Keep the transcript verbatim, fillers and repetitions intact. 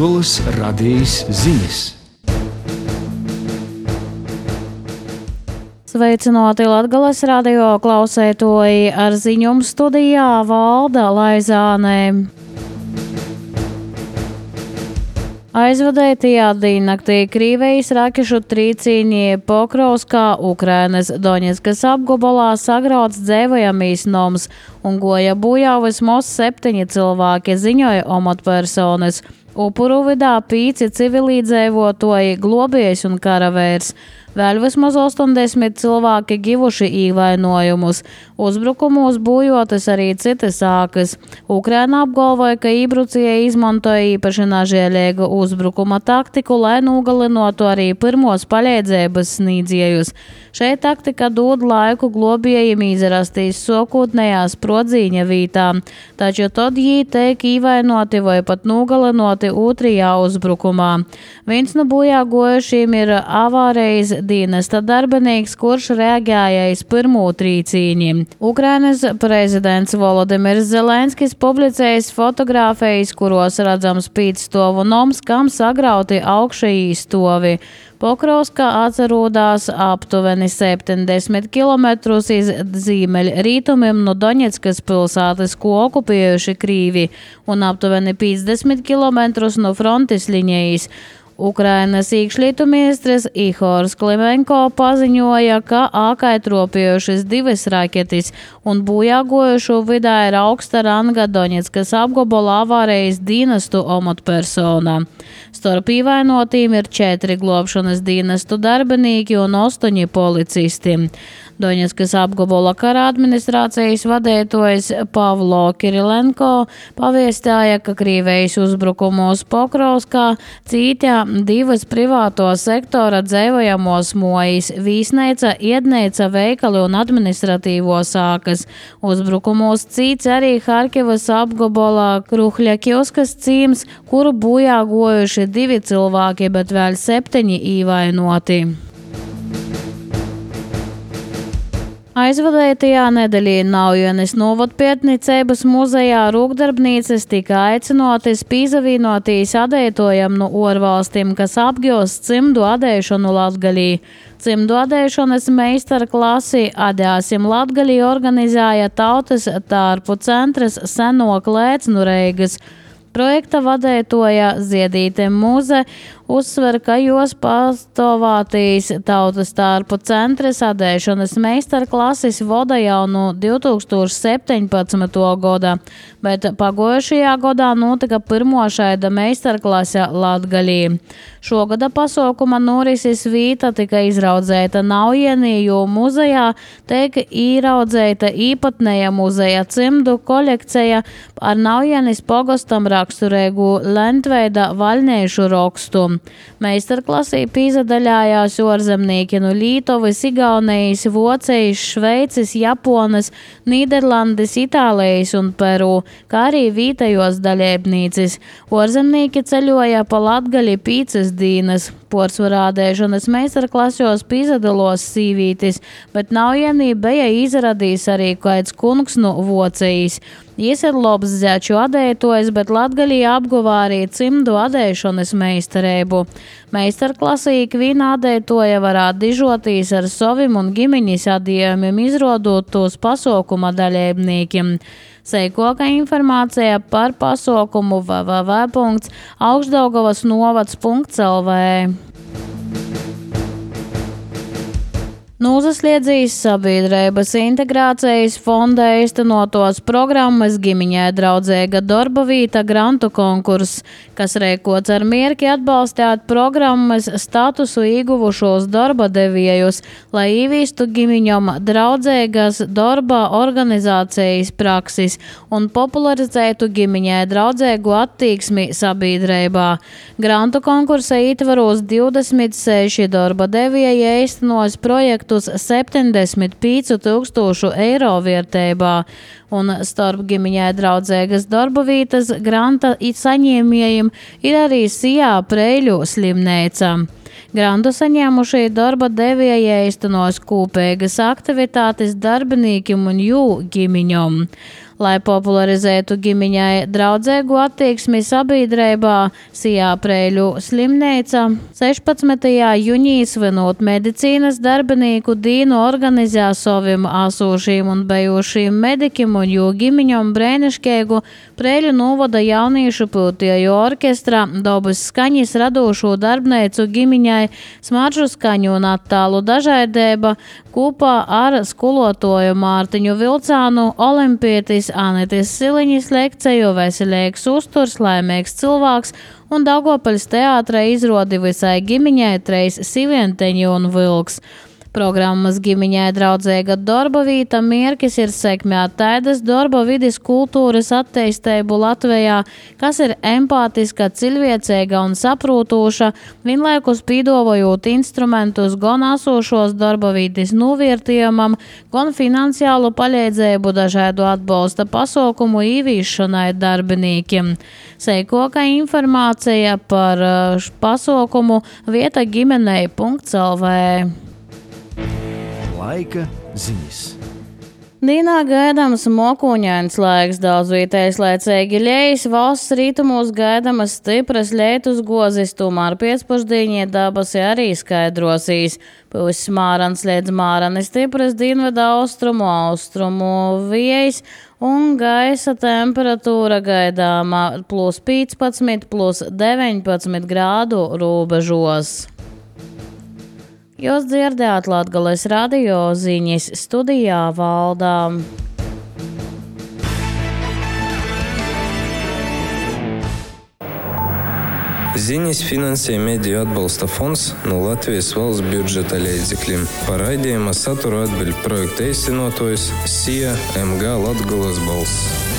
Latgolas radijas ziņas. Sveicināti Latgolas radio klausētoji, ar ziņumu studijā Valda Laizāne. Aizvadētajā dīnaktī Krīvijas rakešu trīcīņi Pokrovskā, Ukrainas Doņetskas apgabalā sagrauts dzēvojamīs noms un goja bojā vismaz septiņi cilvēki, ziņoja amatpersonas. Upuru vidā pīci civilīdzēvotoji, globējs un karavērs. Vēl vismaz astoņdesmit cilvēki givuši īvainojumus. Uzbrukumus bojotas arī citas sākas. Ukraina apgalvoja, ka ībrucēji izmantoja īpaši nažēlīgu uzbrukuma taktiku, lai nogalinotu arī pirmos palīdzības sniedzējus. Šeit taktika dod laiku globējiem izrastīs sokūtnējā sprodzīņa vītā, taču tad jī teik īvainoti vai pat nogalinoti otrajā uzbrukumā. Viens no bojā gojušiem ir avārijas dienesta darbinīgs, kurš reaģējais pirmo trīcīņi. Ukrainas prezidents Volodimirs Zelenskis publicējis fotogrāfijas, kuros redzams pīcstovu noms, kam sagrauti augšējī stovi. Pokrovskā atrodas aptuveni septiņdesmit kilometrus iz ziemeļrietumiem no Doņetskas pilsētas, ko okupējuši Krīvi, un aptuveni piecdesmit kilometrus no frontes līnijas. Ukrainas iekšlietu ministrs Ihors Klimenko paziņoja, ka ākaitropējušas divas raketis un bojāgojušo vidā ir augsta ranga Doņetskas apgabala avārijas dienestu amatpersona. Starp īvainotīm ir četri globšanas dienestu darbinīki un astoņi policisti. Doņetskas apgabala kara administrācijas vadītājs Pavlo Kirilenko pavēstīja, ka Krīvijas uzbrukumos Pokrovskā cītā divas privāto sektora dzēvojamos mojas, vīsneica, iedneica, veikali un administratīvo sākas. Uzbrukumos cīts arī Harkivas apgabalā Kruhļakioskas cīms, kuru bojā gojuši divi cilvēki, bet vēl septiņi īvainoti. Aizvadētajā nedēļā Naujienes novadpietnicības muzejā rūkdarbnīcas tika aicinotas pīzavīnotīs adētojam no orvalstīm, kas apgūst cimdu adēšanu Latgalī. Cimdu adēšanas meistarklasi Adēsim Latgalī organizēja Tautas tārpu centrs Seno Klēcnu Reigas. Projekta vadētoja Ziedīte Muze uzsver, ka jos pastāvātīs Tautas tārpu centres adēšanas meistarklases voda jau no divi tūkstoši septiņpadsmitā gada, bet pagojušajā gadā notika pirmo šaida meistarklase Latgalī. Šogada pasaukuma norises vīta tika izraudzēta Naujienī, jo muzejā tiek īraudzēta īpatnēja muzeja cimdu kolekcija ar Naujienis pogostam raksturēgu lentveida vaļniešu rakstu. Meistarklasī pīzadaļājās orzemnieki no Lītovas, Igaunijas, Vocijas, Šveicis, Japonas, Nīderlandes, Itālijas un Peru, kā arī vītajos daļēbnīcis. Orzemnieki ceļoja pa Latgali pīcas dīnas. Porsvarā adēšanas meistarklasos pīzadalos sīvītis, bet Naujienī bija izradījis arī kāds kungs no Vocijas. Jis ir labs zeču adētojs, bet Latgalī apguvā arī cimdu adēšanas meistarību. Meistarklasī ikviena adētoja varētu dižotīs ar savim un ģimeņas adījumiem, izrodot tos pasaukuma daļēbniekiem. Seikoka informācija par pasaukumu w w w punkts augšdaugavas novads punkts l v. Nūzasliedzīs sabiedrības integrācijas fonda īstenotos programmas ģimeņai draudzīga darba vīta grantu konkurss, kas rēkots ar mierki atbalstīt programmas statusu ieguvušos darba devējus, lai īvīstu ģimeņam draudzīgas darba organizācijas praksis un popularizētu ģimeņai draudzīgu attieksmi sabiedrībā. Grantu konkursa ietvaros divdesmit seši darba devēji īstenos projektu septiņdesmit pieci tūkstošu eiro vērtībā, un starp ģimeņai draudzīgas darba vītas granta saņēmējiem ir arī Sijā Preiļu slimneica. Grandu saņēmušie darba devēji īstenos kopīgas aktivitātes darbiniekiem un jū ģimeņiem. Lai popularizētu ģimeņai draudzīgu attieksmi sabiedrībā, Sijāpreiļu slimnīca sešpadsmitajā jūnijā svinot medicīnas darbinieku dienu organizē saviem esošiem un bijušiem medikiem un jū ģimeņiem brēniškīgu Preiļu novada jauniešu piltieju orkestra dabas skaņas radošo darbnīcu ģimeņai smaržu skaņu un attālu dažādība kopā ar skolotoju Mārtiņu Vilcānu, olimpietis Anitis Siliņas lekciju veselīgs uzturs, laimīgs cilvēks un Daugopaļas teātra izrodi visai ģimeņai treis sivienteņi un vilks. Programmas ģimeņai draudzīga darba vīta mērķis ir sekmēt tādas darba vides kultūras attīstību Latvijā, kas ir empātiska, cilvēcīga un saprūtoša, vienlaikus pīdovojot instrumentus gan esošos darba vides novērtējumam, gan finansiālu palīdzību dažādu atbalsta pasaukumu īvīšanai darbiniekiem. Seikoka informācija par pasaukumu vieta ģimenei punkts el vē. Laika ziņas. Dīnā gaidāms mokuņains laiks, daudz vietējais laicīgi ļejas, valsts rītumos gaidāmas stipras lietus gozis, tomēr pēcpusdienī dabasi arī skaidrosīs. Pūs Mārans līdz Mārani stipras dienvidu austrumu, austrumu vējs un gaisa temperatūra gaidāmā plus piecpadsmit, plus deviņpadsmit grādu robežos. Jūs dzirdējāt Latgales radio ziņas, studijā Valdā. Ziņas finansē Mediju atbalsta fonds no Latvijas valsts budžeta līdzekļiem. Par raidījuma saturu atbild projekta īstenotājs Sija em gā Latgales balss.